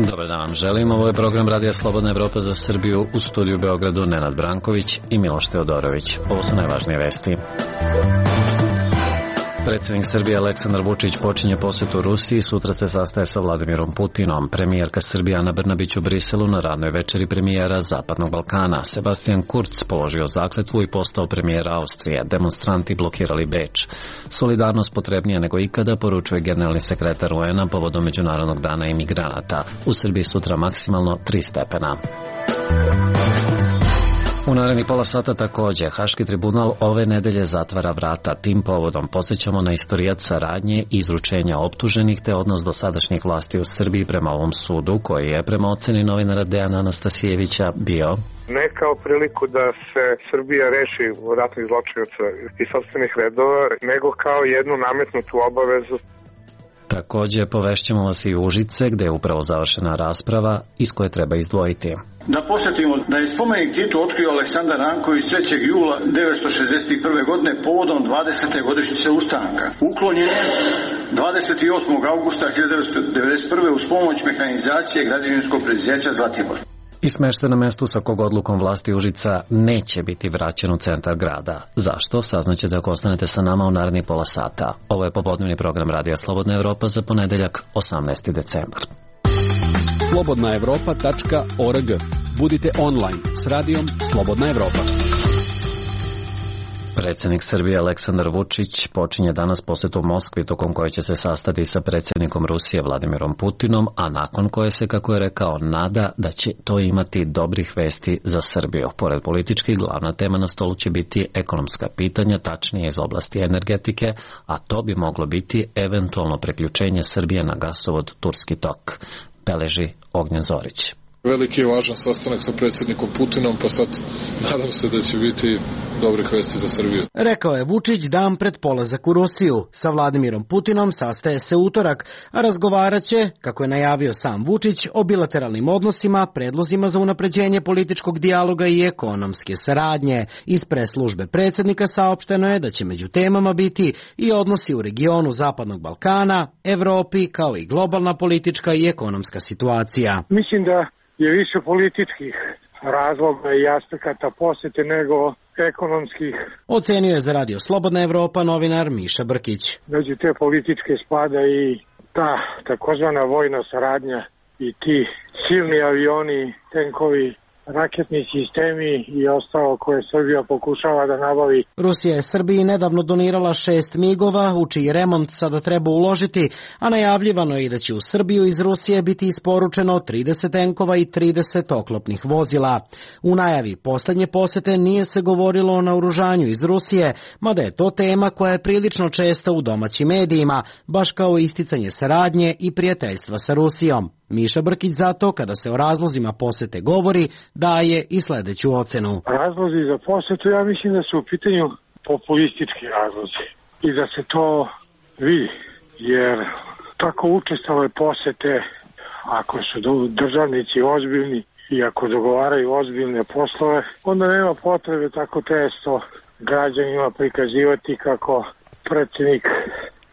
Dobar dan vam želim. Ovo je program Radija Slobodna Evropa za Srbiju, u studiju u Beogradu Nenad Branković i Miloš Teodorović. Ovo su najvažnije vesti. Predsjednik Srbije Aleksandar Vučić počinje posetu Rusiji, sutra se sastaje sa Vladimirom Putinom. Premijerka Srbije Ana Brnabić u Briselu na radnoj večeri premijera Zapadnog Balkana. Sebastian Kurz položio zakletvu i postao premijer Austrije. Demonstranti blokirali Beč. Solidarnost potrebnija nego ikada, poručuje generalni sekretar UN-a povodom Međunarodnog dana imigranata. U Srbiji sutra maksimalno 3 stepena. U narednih pola sata također, Haški tribunal ove nedelje zatvara vrata. Tim povodom posjećamo na istorijat saradnje i izručenja optuženih te odnos dosadašnjih vlasti u Srbiji prema ovom sudu, koji je prema oceni novinara Dejana Anastasijevića bio ne kao priliku da se Srbija reši ratnih zločinaca iz sopstvenih redova, nego kao jednu nametnutu obavezu. Također povešćemo vas i Užice, gdje je upravo završena rasprava iz koje treba izdvojiti. Da posjetimo da je spomenik Titu otkrio Aleksandar Ranković 3. jula 1961. godine povodom 20. godišnjice ustanka. Uklonjen je 28. augusta 1991. uz pomoć mehanizacije građevinskog preduzeća Zlatibor. I smešten na mestu sa kog odlukom vlasti Užica neće biti vraćen u centar grada. Zašto? Saznaćete ako ostanete sa nama u narednih pola sata. Ovo je popodnevni program Radija Slobodna Evropa za ponedeljak 18. decembar. slobodnaevropa.org. Budite online s radijom Slobodna Evropa. Predsjednik Srbije Aleksandar Vučić počinje danas posjetu Moskvi, tokom koje će se sastati sa predsjednikom Rusije Vladimirom Putinom, a nakon koje se, kako je rekao, nada da će to imati dobrih vesti za Srbiju. Pored političkih, glavna tema na stolu će biti ekonomska pitanja, tačnije iz oblasti energetike, a to bi moglo biti eventualno preključenje Srbije na gasovod Turski tok. Beleži Ognjen Zorić. Veliki i važan sastanak sa predsjednikom Putinom, pa sad nadam se da će biti dobrih vesti za Srbiju. Rekao je Vučić dan pred polazak u Rusiju. Sa Vladimirom Putinom sastaje se utorak, a razgovarat će, kako je najavio sam Vučić, o bilateralnim odnosima, predlozima za unapređenje političkog dijaloga i ekonomske saradnje. Iz preslužbe predsjednika saopšteno je da će među temama biti i odnosi u regionu Zapadnog Balkana, Evropi, kao i globalna politička i ekonomska situacija. Mislim da je više političkih razloga i aspekata posjete nego ekonomskih. Ocenio je za Radio Slobodna Evropa novinar Miša Brkić. Među te političke spada i ta takozvana vojna saradnja i ti silni avioni, tenkovi, raketni sistemi i ostalo koje Srbija pokušava da nabavi. Rusija je Srbiji nedavno donirala 6 migova, u čiji remont sada treba uložiti, a najavljivano je i da će u Srbiju iz Rusije biti isporučeno 30 tenkova i 30 oklopnih vozila. U najavi posljednje posete nije se govorilo o naoružanju iz Rusije, mada je to tema koja je prilično česta u domaćim medijima, baš kao isticanje saradnje i prijateljstva sa Rusijom. Miša Brkić zato, kada se o razlozima posete govori, daje i sljedeću ocenu. Razlozi za posetu, ja mislim da su u pitanju populistički razlozi i da se to vidi, jer tako učestale posete, ako su državnici ozbiljni i ako dogovaraju ozbiljne poslove, onda nema potrebe tako često građanima prikazivati kako predsjednik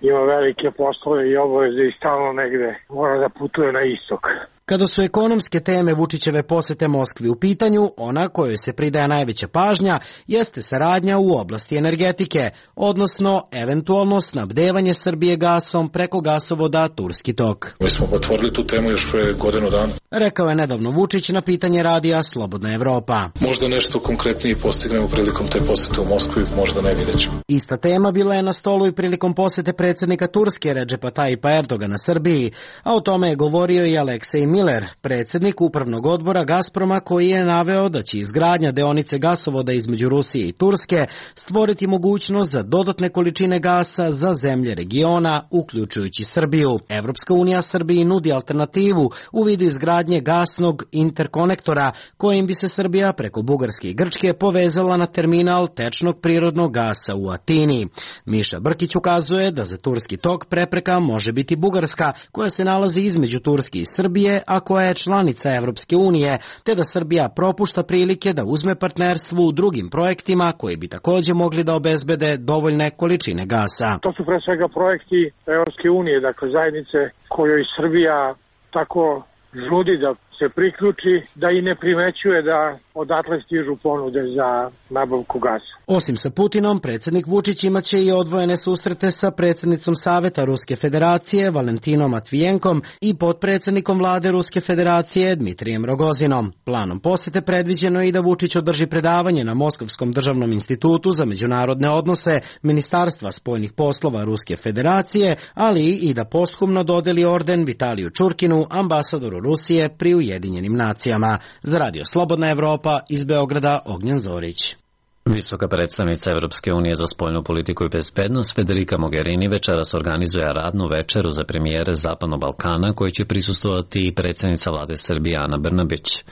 ima velike poslove i obaveze i stalno negde mora da putuje na istok. Kada su ekonomske teme Vučićeve posete Moskvi u pitanju, ona kojoj se pridaje najveća pažnja jeste saradnja u oblasti energetike, odnosno eventualno snabdevanje Srbije gasom preko gasovoda Turski tok. Mi smo otvorili tu temu još pre godinu dana. Rekao je nedavno Vučić na pitanje radija Slobodna Evropa. Možda nešto konkretnije postignemo prilikom te posete u Moskvi, možda ne, vidjet ćemo. Ista tema bila je na stolu i prilikom posete predsjednika Turske Redžepa Tayyipa Erdogana Srbiji, a o tome je govorio i Aleksej Miller, predsjednik upravnog odbora Gazproma, koji je naveo da će izgradnja deonice gasovoda između Rusije i Turske stvoriti mogućnost za dodatne količine gasa za zemlje regiona, uključujući Srbiju. Evropska unija Srbiji nudi alternativu u vidu izgradnje izgradnje gasnog interkonektora kojim bi se Srbija preko Bugarske i Grčke povezala na terminal tečnog prirodnog gasa u Atini. Miša Brkić ukazuje da za Turski tok prepreka može biti Bugarska, koja se nalazi između Turske i Srbije, a koja je članica Evropske unije, te da Srbija propušta prilike da uzme partnerstvo u drugim projektima koji bi takođe mogli da obezbede dovoljne količine gasa. To su pre svega projekti Evropske unije, dakle zajednice kojoj Srbija tako žudi da se priključi, da i ne primećuje da odatle stižu ponude za nabavku gasa. Osim sa Putinom, predsjednik Vučić imaće i odvojene susrete sa predsjednicom Saveta Ruske federacije Valentinom Matvijenkom i potpredsjednikom vlade Ruske federacije Dmitrijem Rogozinom. Planom posete predviđeno je i da Vučić održi predavanje na Moskovskom državnom institutu za međunarodne odnose Ministarstva spoljnih poslova Ruske federacije, ali i da posthumno dodeli orden Vitaliju Čurkinu, ambasadoru Rusije pri Ujedinjenim nacijama. Za Radio Slobodna Evropa iz Beograda, Ognjen Zorić. Visoka predstavnica Evropske unije za spoljnu politiku i bezbednost Federica Mogherini večeras organizuje radnu večeru za premijere Zapadnog Balkana koji će prisustvovati i predsjednica vlade Srbije Ana Brnabić.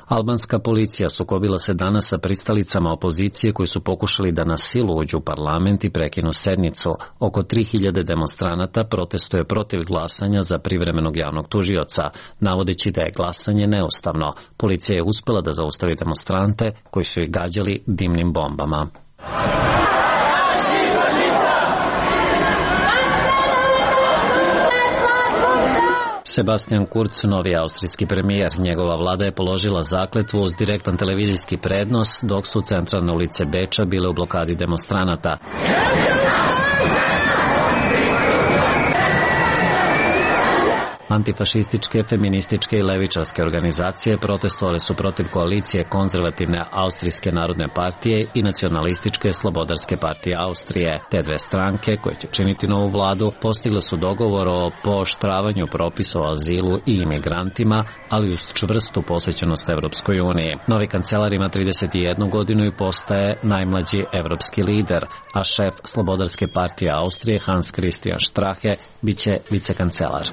Albanska policija sukobila se danas sa pristalicama opozicije koji su pokušali da na silu uđu u parlament i prekinu sednicu. Oko 3000 demonstranata protestuje protiv glasanja za privremenog javnog tužioca, navodeći da je glasanje neustavno. Policija je uspela da zaustavi demonstrante koji su ih gađali dimnim bombama. Sebastian Kurz, novi austrijski premijer. Njegova vlada je položila zakletvu uz direktan televizijski prenos, dok su centralne ulice Beča bile u blokadi demonstranata. Antifašističke, feminističke i levičarske organizacije protestovale su protiv koalicije konzervativne Austrijske narodne partije i nacionalističke Slobodarske partije Austrije. Te dve stranke, koje će činiti novu vladu, postigle su dogovor o pooštravanju propisa o azilu i imigrantima, ali uz čvrstu posvećenost Evropskoj uniji. Novi kancelar ima 31 godinu i postaje najmlađi evropski lider, a šef Slobodarske partije Austrije Hans Christian Strache biće vicekancelar.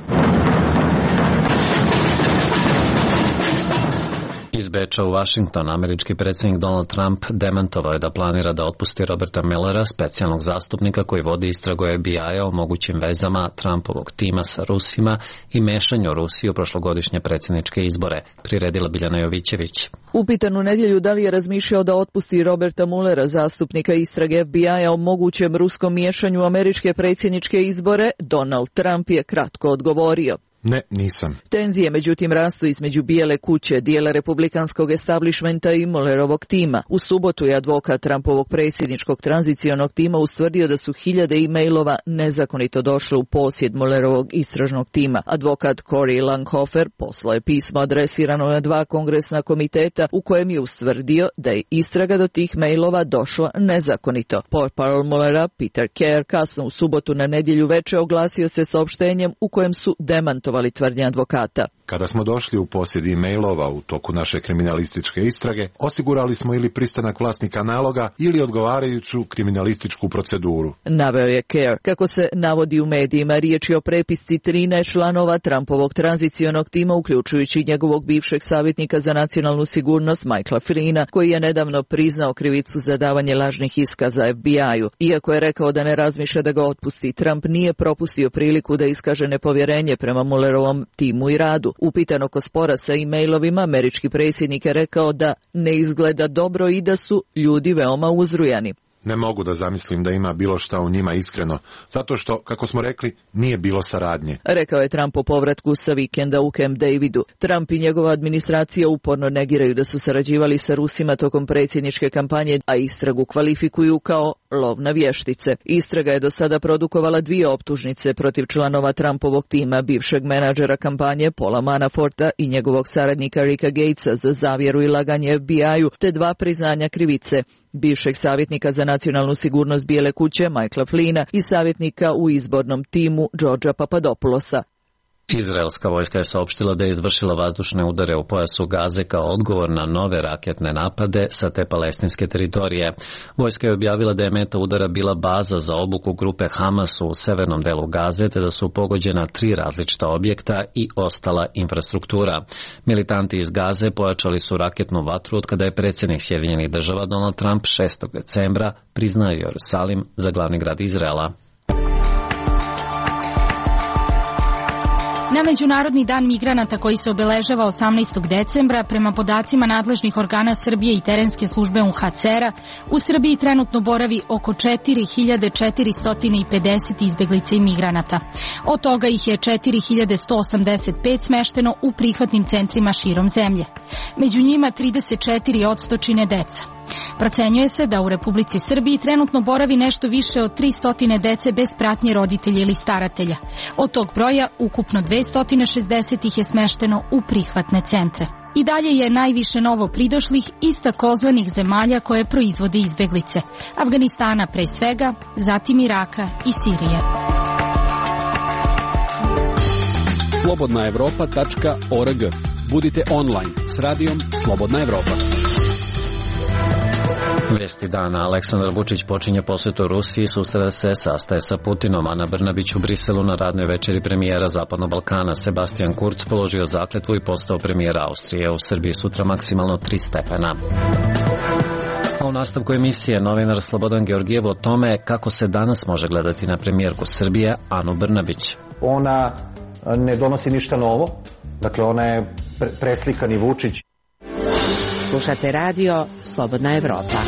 Iz Beča u Washington, američki predsjednik Donald Trump demantovao je da planira da otpusti Roberta Muellera, specijalnog zastupnika koji vodi istragu FBI-a o mogućim vezama Trumpovog tima sa Rusima i mešanju Rusije u prošlogodišnje predsjedničke izbore, priredila Biljana Jovićević. Upitan u nedjelju da li je razmišljao da otpusti Roberta Muellera, zastupnika istrage FBI-a o mogućem ruskom miješanju u američke predsjedničke izbore, Donald Trump je kratko odgovorio. Ne, nisam. Tenzije međutim rastu između Bijele kuće, dijela republikanskog establishmenta i Muellerovog tima. U subotu je advokat Trumpovog predsjedničkog tranzicionog tima ustvrdio da su hiljade e-mailova nezakonito došle u posjed Muellerovog istražnog tima. Advokat Cory Langhofer poslao je pismo adresirano na 2 kongresna komiteta u kojem je ustvrdio da je istraga do tih mailova došla nezakonito. Portparol Muellera Peter Kerr kasno u subotu na nedjelju veče oglasio se saopštenjem u kojem su demantovali tvrdnje advokata. Kada smo došli u posjed e-mailova u toku naše kriminalističke istrage, osigurali smo ili pristanak vlasnika naloga ili odgovarajuću kriminalističku proceduru. Naveo je Kerr. Kako se navodi u medijima, riječ je o prepisci 13 članova Trumpovog tranzicionog tima, uključujući njegovog bivšeg savjetnika za nacionalnu sigurnost Michaela Flyna, koji je nedavno priznao krivicu za davanje lažnih iskaza FBI-u. Iako je rekao da ne razmišlja da ga otpusti, Trump nije propustio priliku da iskaže nepovjerenje prema Muellerovom timu i radu. Upitan oko spora sa e-mailovima, američki predsjednik je rekao da ne izgleda dobro i da su ljudi veoma uzrujani. Ne mogu da zamislim da ima bilo šta u njima iskreno, zato što, kako smo rekli, nije bilo saradnje. Rekao je Trump po povratku sa vikenda u Camp Davidu. Trump i njegova administracija uporno negiraju da su sarađivali sa Rusima tokom predsjedničke kampanje, a istragu kvalifikuju kao lov na vještice. Istraga je do sada produkovala 2 optužnice protiv članova Trumpovog tima, bivšeg menadžera kampanje Paula Manaforta i njegovog saradnika Ricka Gatesa za zavjeru i laganje FBI-u, te 2 priznanja krivice, bivšeg savjetnika za nacionalnu sigurnost Bijele kuće Michaela Flyna i savjetnika u izbornom timu Georgea Papadopoulosa. Izraelska vojska je saopštila da je izvršila vazdušne udare u pojasu Gaze kao odgovor na nove raketne napade sa te palestinske teritorije. Vojska je objavila da je meta udara bila baza za obuku grupe Hamas u severnom delu Gaze, te da su pogođena 3 različita objekta i ostala infrastruktura. Militanti iz Gaze pojačali su raketnu vatru od kada je predsjednik Sjedinjenih Država Donald Trump 6. decembra priznao Jerusalim za glavni grad Izraela. Na Međunarodni dan migranata koji se obeležava 18. decembra, prema podacima nadležnih organa Srbije i terenske službe UNHCR-a, u Srbiji trenutno boravi oko 4450 izbeglica i migranata. Od toga ih je 4185 smešteno u prihvatnim centrima širom zemlje. Među njima 34% čine deca. Procenjuje se da u Republici Srbiji trenutno boravi nešto više od 300 dece bez pratnje roditelja ili staratelja. Od tog broja ukupno 260 ih je smešteno u prihvatne centre. I dalje je najviše novo pridošlih iz takozvanih zemalja koje proizvode izbeglice. Afganistana pre svega, zatim Iraka i Sirije. slobodnaevropa.org. Budite online s radijom Slobodna Evropa. Vijesti dana. Aleksandar Vučić počinje posjetu Rusiji, susreta se sastaje sa Putinom. Ana Brnabić u Briselu na radnoj večeri premijera Zapadnog Balkana. Sebastian Kurz položio zakletvu i postao premijer Austrije. U Srbiji sutra maksimalno 3 stepena. A u nastavku emisije novinar Slobodan Georgijev o tome kako se danas može gledati na premijerku Srbije Anu Brnabić. Ona ne donosi ništa novo, dakle ona je preslikani Vučić. Slušate radio Slobodna Evropa.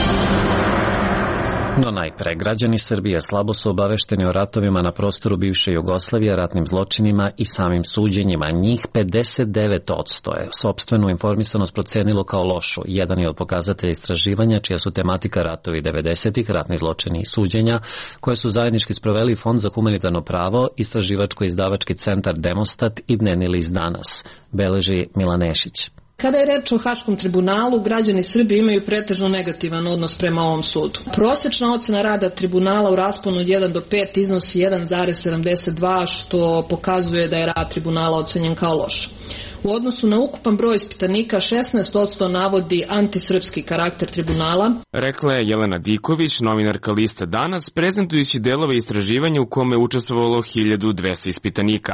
No najpre, građani Srbije slabo su obavešteni o ratovima na prostoru bivše Jugoslavije, ratnim zločinima i samim suđenjima. Njih 59% je sopstvenu informisanost procenilo kao lošu. Jedan je od pokazatelja istraživanja čija su tematika ratovi 90-ih, ratni zločini i suđenja, koje su zajednički sproveli Fond za humanitarno pravo, istraživačko-izdavački centar Demostat i dnevni list Danas, beleži Milan Nešić. Kada je reč o Haškom tribunalu, građani Srbije imaju pretežno negativan odnos prema ovom sudu. Prosječna ocena rada tribunala u rasponu od 1 do 5 iznosi 1,72, što pokazuje da je rad tribunala ocenjen kao loš. U odnosu na ukupan broj ispitanika, 16% navodi antisrpski karakter tribunala. Rekla je Jelena Diković, novinarka lista Danas, prezentujući delove istraživanja u kome je učestvovalo 1200 ispitanika.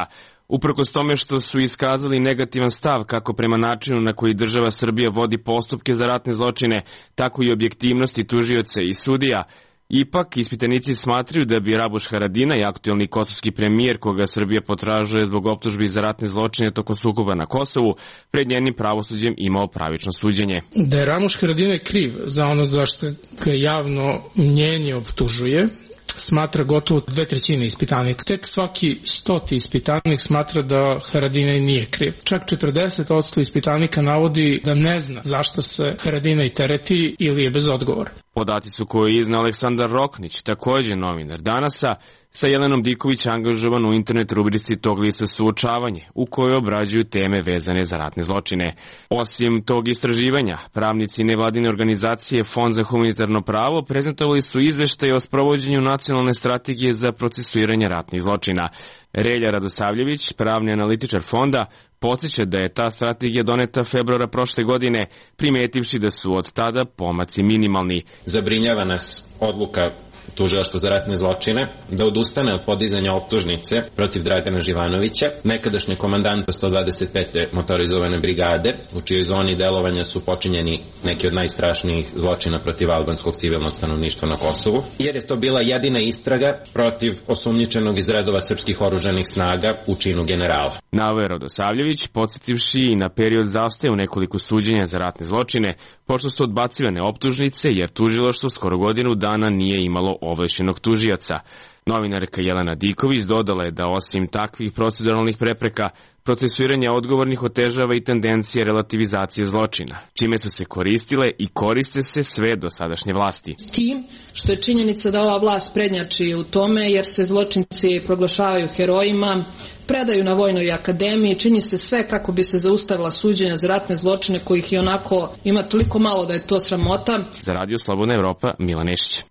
Uprkos tome što su iskazali negativan stav kako prema načinu na koji država Srbija vodi postupke za ratne zločine, tako i objektivnosti tužioca i sudija, ipak ispitanici smatraju da bi Rabuš Haradinaj, aktuelni kosovski premijer koga Srbija potražuje zbog optužbi za ratne zločine tokom sukoba na Kosovu, pred njenim pravosuđem imao pravično suđenje. Da je Ramuš Haradinaj kriv za ono zašto ga javno mnjenje optužuje, smatra gotovo 2/3 ispitanika. Tek svaki 100. ispitanik smatra da Haradinaj nije kriv. Čak 40% ispitanika navodi da ne zna zašto se Haradinaj tereti ili je bez odgovora. Podaci su koje je izneo Aleksandar Roknić, također novinar Danasa, sa Jelenom Diković angažovan u internet rubrici tog lista Suočavanje, u kojoj obrađuju teme vezane za ratne zločine. Osim tog istraživanja, pravnici nevladine organizacije Fond za humanitarno pravo prezentovali su izveštaje o sprovođenju nacionalne strategije za procesuiranje ratnih zločina. Relja Radosavljević, pravni analitičar fonda, podsjeća da je ta strategija doneta februara prošle godine, primetivši da su od tada pomaci minimalni. Zabrinjava nas odluka Tužilaštva za ratne zločine da odustane od podizanja optužnice protiv Dragana Živanovića, nekadašnjeg komandanta 125. motorizovane brigade, u čijoj zoni delovanja su počinjeni neki od najstrašnijih zločina protiv albanskog civilnog stanovništva na Kosovu, jer je to bila jedina istraga protiv osumnjičenog iz redova srpskih oružanih snaga u činu generala. Naveo je Radosavljević, podsjetivši i na period zastoja u nekoliko suđenja za ratne zločine, pošto su odbacivane optužnice, jer tužilaštvo skoro godinu dana nije imalo ovlašćenog tužioca. Novinarka Jelena Diković dodala je da osim takvih proceduralnih prepreka, procesuiranje odgovornih otežava i tendencije relativizacije zločina, čime su se koristile i koriste se sve dosadašnje vlasti. S tim što je činjenica da ova vlast prednjači u tome, jer se zločinci proglašavaju herojima, predaju na Vojnoj akademiji, čini se sve kako bi se zaustavila suđenja za ratne zločine kojih i onako ima toliko malo da je to sramota. Za Radio Slobodna Evropa, Milan Nešić.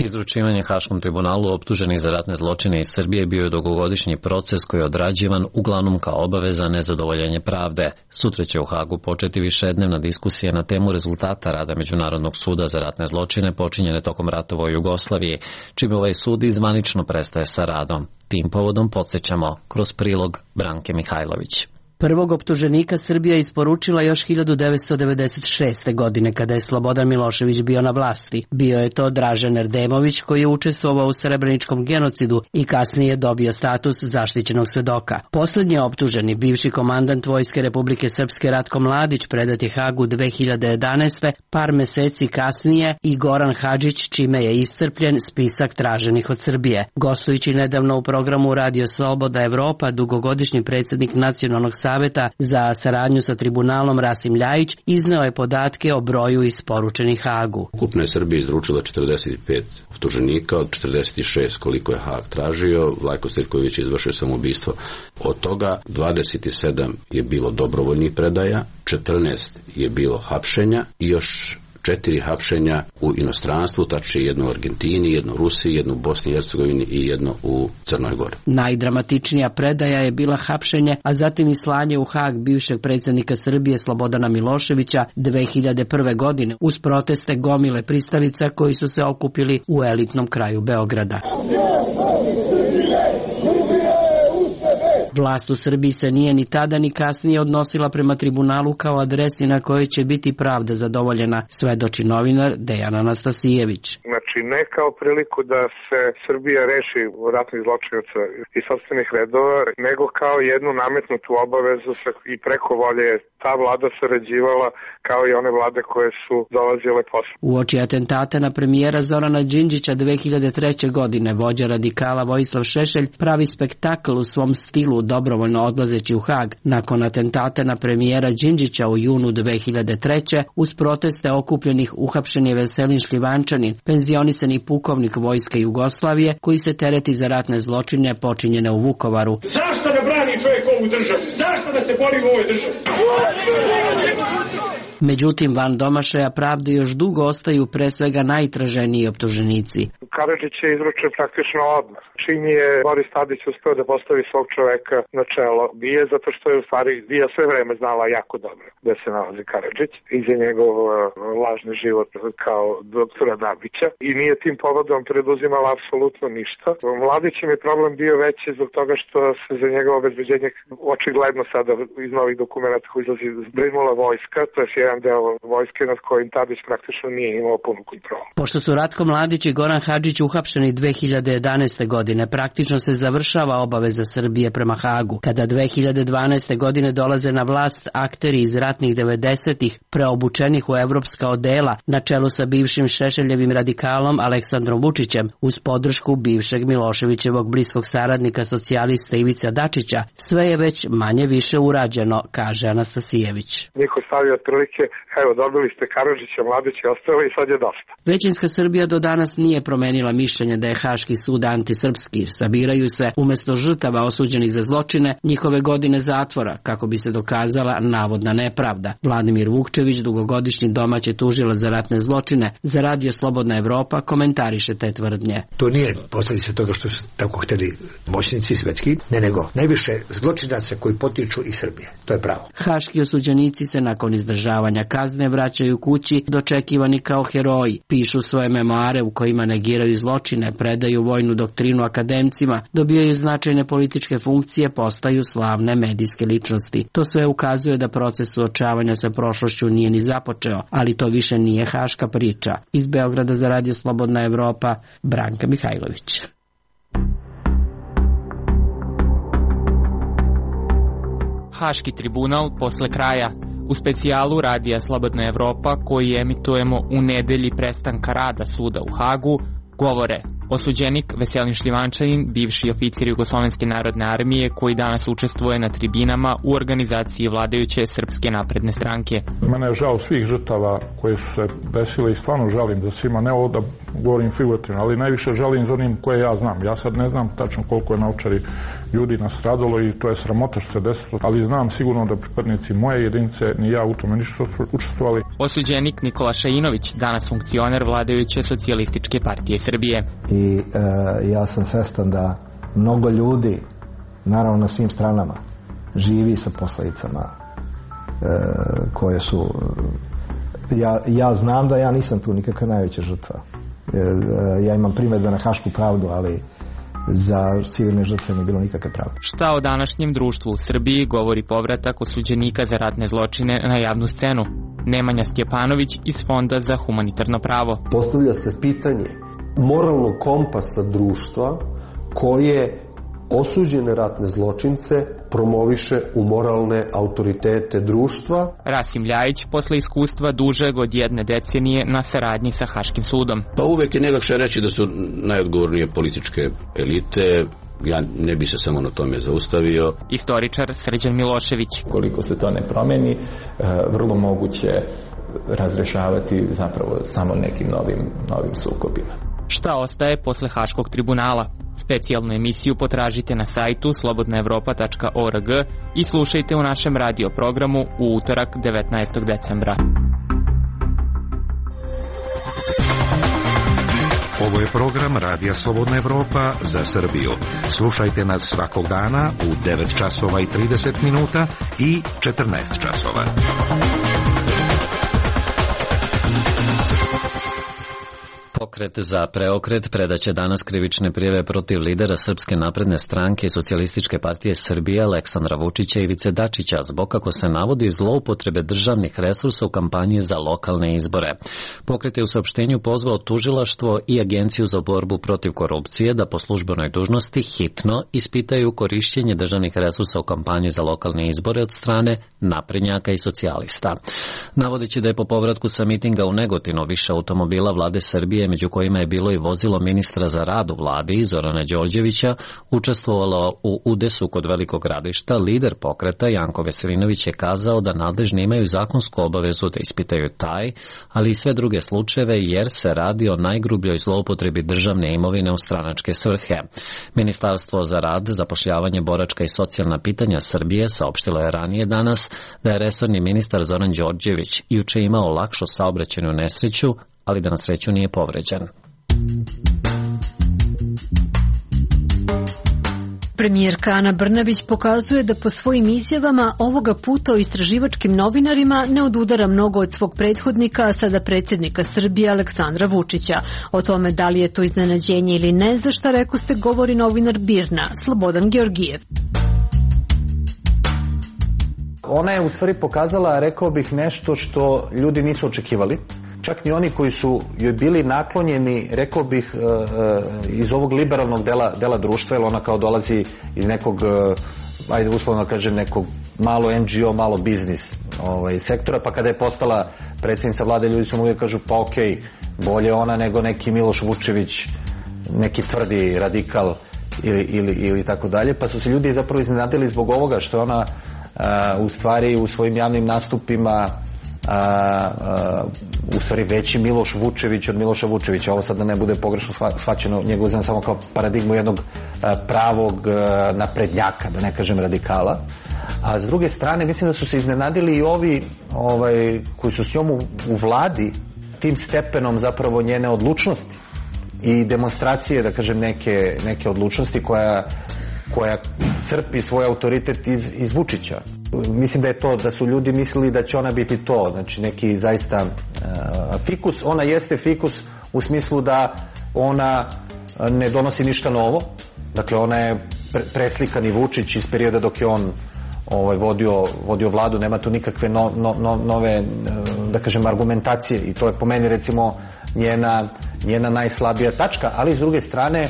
Izručivanje Haškom tribunalu optuženih za ratne zločine iz Srbije bio je dugogodišnji proces koji je odrađivan uglavnom kao obaveza nezadovoljenje pravde. Sutra će u Hagu početi višednevna diskusija na temu rezultata rada Međunarodnog suda za ratne zločine počinjene tokom ratova u Jugoslaviji, čime ovaj sud izvanično prestaje sa radom. Tim povodom podsjećamo kroz prilog Branke Mihajlović. Prvog optuženika Srbija isporučila još 1996. godine kada je Slobodan Milošević bio na vlasti. Bio je to Dražen Erdemović koji je učestvovao u srebreničkom genocidu i kasnije dobio status zaštićenog svedoka. Poslednji optuženi, bivši komandant Vojske Republike Srpske Ratko Mladić, predat je Hagu 2011. Par meseci kasnije i Goran Hadžić, čime je iscrpljen spisak traženih od Srbije. Gostujući nedavno u programu Radio Slobodna Evropa, dugogodišnji predsjednik Nacionalnog saveta za saradnju sa tribunalom Rasim Ljajić izneo je podatke o broju isporučenih Hagu. Ukupno je Srbija izručila 45 optuženika, od 46 koliko je Hag tražio, Vlajko Stojković je izvršio samoubistvo. Od toga 27 je bilo dobrovoljnih predaja, 14 je bilo hapšenja i još 4 hapšenja u inostranstvu, tačnije jedno u Argentini, jedno u Rusiji, jedno u Bosni i Hercegovini i jedno u Crnoj Gori. Najdramatičnija predaja je bila hapšenje, a zatim i slanje u Hag bivšeg predsjednika Srbije Slobodana Miloševića 2001. godine uz proteste gomile pristalica koji su se okupili u elitnom kraju Beograda. Vlast u Srbiji se nije ni tada ni kasnije odnosila prema tribunalu kao adresi na kojoj će biti pravda zadovoljena, svedoči novinar Dejan Anastasijević. Znači ne kao priliku da se Srbija reši ratnih zločinaca iz sopstvenih redova, nego kao jednu nametnutu obavezu i preko volje ta vlada sarađivala kao i one vlade koje su dolazile posle. Uoči atentata na premijera Zorana Đinđića 2003. godine vođa radikala Vojislav Šešelj pravi spektakl u svom stilu dobrovoljno odlazeći u Hag. Nakon atentata na premijera Đinđića u junu 2003. uz proteste okupljenih uhapšen je Veselin Šljivančanin, penzionisani pukovnik Vojske Jugoslavije koji se tereti za ratne zločine počinjene u Vukovaru. Zašto da brani čovjek ovu državu? Zašto da se bori u ovoj državi? Međutim, van domašaja pravde još dugo ostaju pre svega najtraženiji optuženici. Karadžić je izručen praktično odmah. Čim je Boris Tadić uspeo da postavi svog čoveka na čelo, bije zato što je u stvari BIA sve vreme znala jako dobro da se nalazi Karadžić i za njegov lažni život kao doktora Dabića i nije tim povodom preduzimala apsolutno ništa. Mladićem je problem bio veći zbog toga što se za njegovo obezbeđenje očigledno sada iz novih dokumenta koji izlazi zbrinula vojska, to je jedan deo vojske nad kojim Tadić praktično nije imao punu kontrolu. Pošto su Ratko Mladić i Goran Hadžić uhapšeni 2011. godine, praktično se završava obaveza Srbije prema Hagu. Kada 2012. godine dolaze na vlast akteri iz ratnih 90-ih, preobučenih u evropska odela, na čelu sa bivšim Šešeljevim radikalom Aleksandrom Vučićem, uz podršku bivšeg Miloševićevog bliskog saradnika socijalista Ivica Dačića, sve je već manje više urađeno, kaže Anastasijević. Niko stavio otprilike, evo dobili ste Karadžića, Mladić je ostalo i sad je dosta. Većinska Srbija do danas nije promenila mišljenje da je Haški sud antisrpski. Sabiraju se umjesto žrtava osuđenih za zločine njihove godine zatvora kako bi se dokazala navodna nepravda. Vladimir Vukčević, dugogodišnji domaći tužilac za ratne zločine, za Radio Slobodna Evropa komentariše te tvrdnje. To nije posljedica toga što su tako hteli moćnici svetski, nego najviše zločinaca koji potiču iz Srbije. To je pravo. Haški osuđenici se nakon izdržavanja kazne vraćaju kući dočekivani kao heroji, pišu svoje memoare u kojima negiraju zločine, predaju vojnu doktrinu akademcima, dobijaju značajne političke funkcije, postaju slavne medijske ličnosti. To sve ukazuje da proces suočavanja sa prošlošću nije ni započeo, ali to više nije haška priča. Iz Beograda za Radio Slobodna Evropa, Branka Mihajlović. Haški tribunal posle kraja. U specijalu Radija Slobodna Evropa, koji emitujemo u nedelji prestanka rada suda u Hagu, govore Osuđenik Veselin Šljivančanin, bivši oficir Jugoslovenske narodne armije koji danas učestvuje na tribinama u organizaciji vladajuće Srpske napredne stranke. Mene je žao svih žrtava koje su se desile i stvarno žalim za svima, ne ovo da govorim figurativno, ali najviše žalim za onim koje ja znam. Ja sad ne znam tačno koliko je na Ovčari ljudi nastradalo i to je sramota što se desilo, ali znam sigurno da pripadnici moje jedinice ni ja u tome nisu učestvovali. Osuđenik Nikola Šainović, danas funkcioner vladajuće Socijalističke partije Srbije. I ja sam svestan da mnogo ljudi, naravno na svim stranama, živi sa posledicama koje su... Ja znam da ja nisam tu nikakva najveća žrtva. Ja imam primedbe na Hašku pravdu, ali za civilne žrtve nije bilo nikakve pravde. Šta o današnjem društvu u Srbiji govori povratak osuđenika za ratne zločine na javnu scenu? Nemanja Stjepanović iz Fonda za humanitarno pravo. Postavlja se pitanje moralnog kompasa društva koje osuđene ratne zločince promoviše u moralne autoritete društva. Rasim Ljajić, posle iskustva dužeg od 1 decenije na saradnji sa Haškim sudom. Pa uvek je najlakše reći da su najodgovornije političke elite. Ja ne bi se samo na tome zaustavio. Istoričar Srđan Milošević. Koliko se to ne promeni, vrlo moguće razrešavati zapravo samo nekim novim sukobima. Šta ostaje posle Haškog tribunala? Specijalnu emisiju potražite na sajtu slobodnaevropa.org i slušajte u našem radio programu u utorak 19. decembra. Ovo je program Radija Slobodna Evropa za Srbiju. Slušajte nas svakog dana u 9 časova i 30 minuta i 14 časova. Pokret za preokret predaće danas krivične prijave protiv lidera Srpske napredne stranke i Socijalističke partije Srbije Aleksandra Vučića i Ivice Dačića zbog, kako se navodi, zloupotrebe državnih resursa u kampanji za lokalne izbore. Pokret je u saopštenju pozvao tužilaštvo i Agenciju za borbu protiv korupcije da po službenoj dužnosti hitno ispitaju korišćenje državnih resursa u kampanji za lokalne izbore od strane naprednjaka i socijalista. Navodeći da je po povratku sa mitinga u Negotinu više automobila vlade Srbije, među kojima je bilo i vozilo ministra za rad u vladi Zorana Đorđevića, učestvovalo u udesu kod Velikog Gradišta, lider pokreta Janko Veselinović je kazao da nadležni imaju zakonsku obavezu da ispitaju taj, ali i sve druge slučajeve, jer se radi o najgrubljoj zloupotrebi državne imovine u stranačke svrhe. Ministarstvo za rad, zapošljavanje, boračka i socijalna pitanja Srbije saopštilo je ranije danas da je resorni ministar Zoran Đorđević juče imao lakšu saobraćajnu nesreću, ali da na sreću nije povređen. Premijerka Ana Brnabić pokazuje da po svojim izjavama ovoga puta o istraživačkim novinarima ne odudara mnogo od svog prethodnika, a sada predsjednika Srbije Aleksandra Vučića. O tome da li je to iznenađenje ili ne, za šta rekoste govori novinar BIRN-a Slobodan Georgijev. Ona je u stvari pokazala, rekao bih, nešto što ljudi nisu očekivali. Čak ni oni koji su joj bili naklonjeni, rekao bih, iz ovog liberalnog dela društva, jer ona kao dolazi iz nekog, ajde uslovno kažem, nekog malo NGO, malo biznis sektora, pa kada je postala predsjednica vlade, ljudi su mu uvijek kažu, pa okej, bolje ona nego neki Miloš Vučević, neki tvrdi radikal ili tako dalje, pa su se ljudi zapravo iznenadili zbog ovoga što ona u stvari u svojim javnim nastupima u stvari veći Miloš Vučević od Miloša Vučevića. Ovo sad da ne bude pogrešno shvaćeno, njega uzem samo kao paradigmu jednog pravog naprednjaka, da ne kažem radikala. A s druge strane, mislim da su se iznenadili i ovi koji su s njom u vladi, tim stepenom zapravo njene odlučnosti i demonstracije, da kažem, neke odlučnosti koja crpi svoj autoritet iz Vučića. Mislim da je to, da su ljudi mislili da će ona biti to, znači neki zaista fikus. Ona jeste fikus u smislu da ona ne donosi ništa novo, dakle ona je preslikani Vučić iz perioda dok je on vodio vladu, nema tu nikakve nove, da kažem, argumentacije i to je po meni recimo njena najslabija tačka, ali s druge strane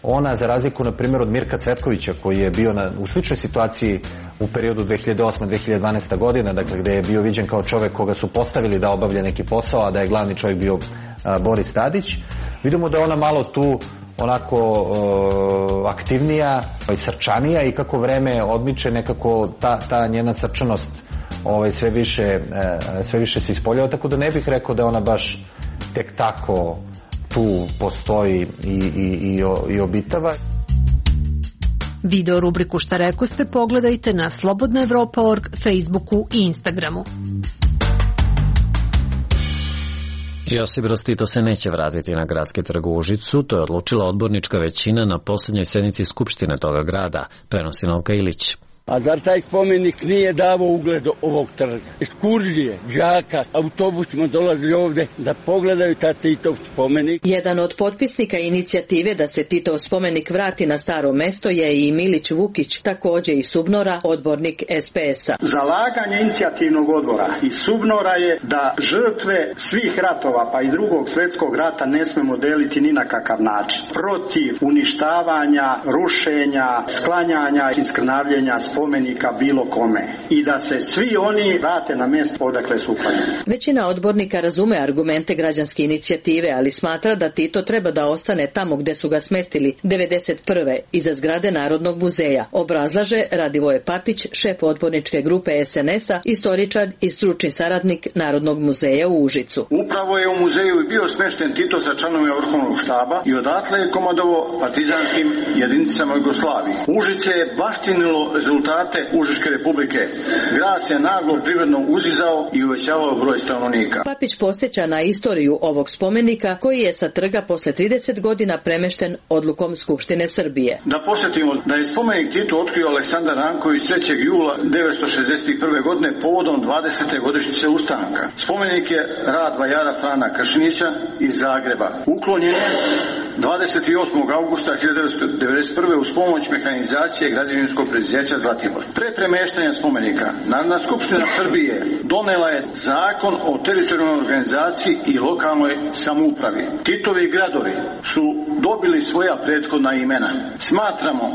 ona, za razliku na primjer od Mirka Cvetkovića koji je bio u sličnoj situaciji u periodu 2008-2012. godina, dakle gde je bio viđen kao čovjek koga su postavili da obavlja neki posao, a da je glavni čovjek bio Boris Tadić, vidimo da ona malo tu onako aktivnija i srčanija i kako vreme odmiče nekako ta njena srčanost sve više se ispoljava, tako da ne bih rekao da ona baš tek tako tu postoji i obitava. Video rubriku Šta rekoste pogledajte na slobodnaevropa.org, Facebooku i Instagramu. Josip Broz Tito se neće vratiti na gradski trg u Užicu, to je odlučila odbornička većina na poslednjoj sednici Skupštine toga grada, prenosi Novka Ilić. A zar taj spomenik nije davao ugled ovog trga? Ekskurzije, đaka, autobusima dolazili ovde da pogledaju ta Titov spomenik. Jedan od potpisnika inicijative da se Titov spomenik vrati na staro mesto je i Milić Vukić, takođe iz Subnora, odbornik SPS-a. Zalaganje inicijativnog odbora iz Subnora je da žrtve svih ratova, pa i Drugog svjetskog rata, ne smemo deliti ni na kakav način. Protiv uništavanja, rušenja, sklanjanja i skrnavljenja spomenika bilo kome i da se svi oni vrate na mjesto odakle su uklanjeni. Većina odbornika razume argumente građanske inicijative, ali smatra da Tito treba da ostane tamo gde su ga smestili 1991. iza zgrade Narodnog muzeja, obrazlaže Radivoje Papić, šef odborničke grupe SNS-a, istoričar i stručni saradnik Narodnog muzeja u Užicu. Upravo je u muzeju bio smešten Tito sa članovima vrhovnog štaba i odatle je komandovao partizanskim jedinicama Jugoslavije. Užice je baštinilo rezultate Užičke republike. Grad se naglo privredno uzizao i uvećavao broj stanovnika. Papić podsjeća na istoriju ovog spomenika koji je sa trga posle 30 godina premešten odlukom Skupštine Srbije. Da posjetimo da je spomenik Titu otkrio Aleksandar Ranković 3. jula 1961. godine povodom 20. godišnjice ustanka. Spomenik je rad vajara Frana Kršinića iz Zagreba. Uklonjen je 28. augusta 1991. uz pomoć mehanizacije građevinskog preduzeća Zlatibor. Pre premeštanja spomenika, Narodna skupština Srbije donela je zakon o teritorijalnoj organizaciji i lokalnoj samoupravi. Titovi gradovi su dobili svoja prethodna imena. Smatramo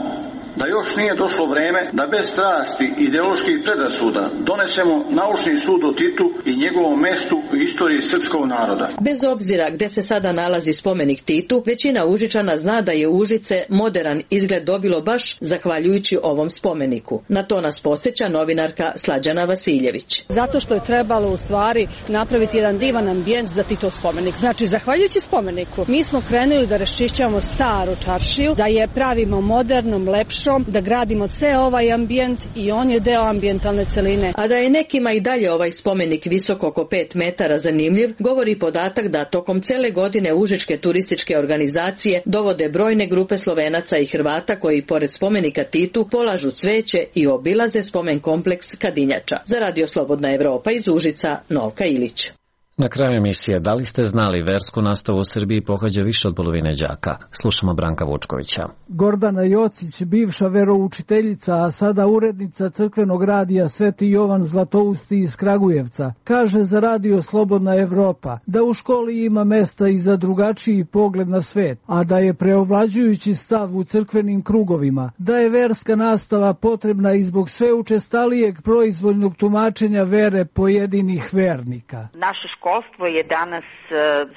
da još nije došlo vreme da bez strasti i ideoloških predrasuda donesemo naučni sud o Titu i njegovom mestu u istoriji srpskog naroda. Bez obzira gde se sada nalazi spomenik Titu, većina Užičana zna da je Užice moderan izgled dobilo baš zahvaljujući ovom spomeniku. Na to nas podsjeća novinarka Slađana Vasiljević. Zato što je trebalo u stvari napraviti jedan divan ambijent za Titov spomenik. Znači, zahvaljujući spomeniku, mi smo krenuli da raščišćavamo staru čaršiju, da je pravimo modernom, lepšom, da gradimo ceo ovaj ambijent i on je deo ambijentalne celine. A da je nekima i dalje ovaj spomenik visok oko 5 metara zanimljiv, govori podatak da tokom cele godine užičke turističke organizacije dovode brojne grupe Slovenaca i Hrvata koji pored spomenika Titu polažu cveće i obilaze spomen kompleks Kadinjača. Za Radio Slobodna Evropa iz Užica, Novka Ilić. Na kraju emisije, da li ste znali, versku nastavu u Srbiji pohađa više od polovine đaka? Slušamo Branka Vučkovića. Gordana Jocić, bivša veroučiteljica, a sada urednica crkvenog radija Sveti Jovan Zlatousti iz Kragujevca, kaže za Radio Slobodna Evropa da u školi ima mesta i za drugačiji pogled na svet, a da je preovlađujući stav u crkvenim krugovima, da je verska nastava potrebna i zbog sve učestalijeg proizvoljnog tumačenja vere pojedinih vernika. Naše školstvo je danas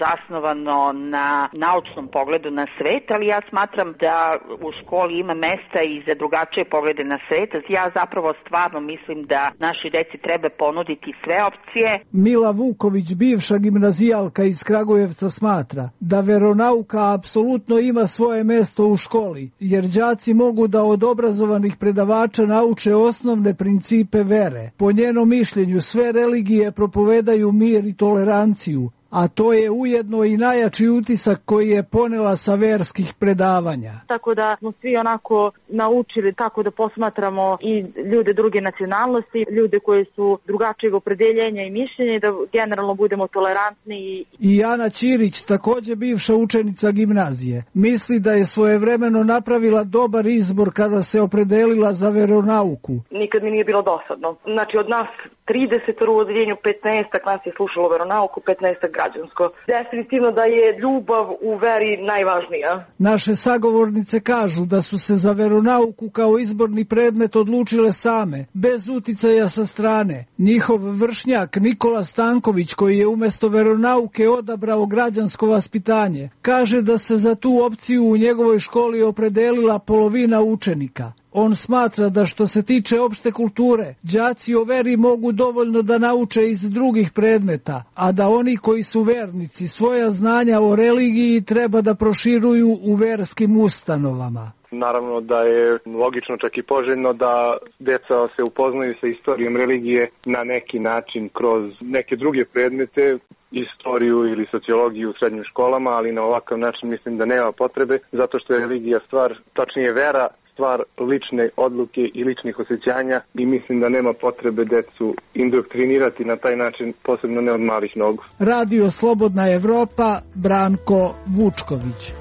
zasnovano na naučnom pogledu na svet, ali ja smatram da u školi ima mesta i za drugačije poglede na svet. Ja zapravo stvarno mislim da našoj deci treba ponuditi sve opcije. Mila Vuković, bivša gimnazijalka iz Kragujevca, smatra da veronauka apsolutno ima svoje mesto u školi, jer đaci mogu da od obrazovanih predavača nauče osnovne principe vere. Po njenom mišljenju sve religije propovedaju mir i toleranciju, a to je ujedno i najjači utisak koji je ponela sa verskih predavanja. Tako da smo svi onako naučili kako da posmatramo i ljude druge nacionalnosti, ljude koji su drugačijeg opredeljenja i mišljenja, da generalno budemo tolerantni. I Ana Ćirić, takođe bivša učenica gimnazije, misli da je svojevremeno napravila dobar izbor kada se opredelila za veronauku. Nikad mi nije bilo dosadno. Znači od nas 30 u odeljenju, 15 nas je slušalo veronauku, 15 građansko. Definitivno da je ljubav u veri najvažnija. Naše sagovornice kažu da su se za veronauku kao izborni predmet odlučile same, bez uticaja sa strane. Njihov vršnjak Nikola Stanković, koji je umesto veronauke odabrao građansko vaspitanje, kaže da se za tu opciju u njegovoj školi opredelila polovina učenika. On smatra da što se tiče opšte kulture, đaci o veri mogu dovoljno da nauče iz drugih predmeta, a da oni koji su vernici svoja znanja o religiji treba da proširuju u verskim ustanovama. Naravno da je logično, čak i poželjno, da deca se upoznaju sa istorijom religije na neki način kroz neke druge predmete, istoriju ili sociologiju u srednjim školama, ali na ovakav način mislim da nema potrebe, zato što je religija stvar, tačnije vera, stvar lične odluke i ličnih osjećanja i mislim da nema potrebe decu indoktrinirati na taj način, posebno ne od malih nogu. Radio Slobodna Evropa, Branko Vučković.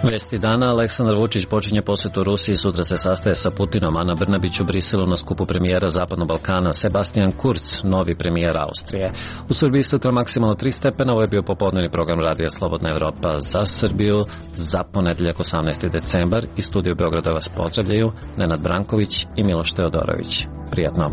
Vesti dana, Aleksandar Vučić počinje posetu Rusiji, sutra se sastaje sa Putinom, Ana Brnabić u Briselu na skupu premijera Zapadnog Balkana, Sebastian Kurz, novi premijer Austrije. U Srbiji sutra maksimalno 3 stepena, ovo je bio popodnevni program Radija Slobodna Evropa za Srbiju za ponedeljak 18. decembar. Iz studija Beograda vas pozdravljaju Nenad Branković i Miloš Teodorović. Prijatno.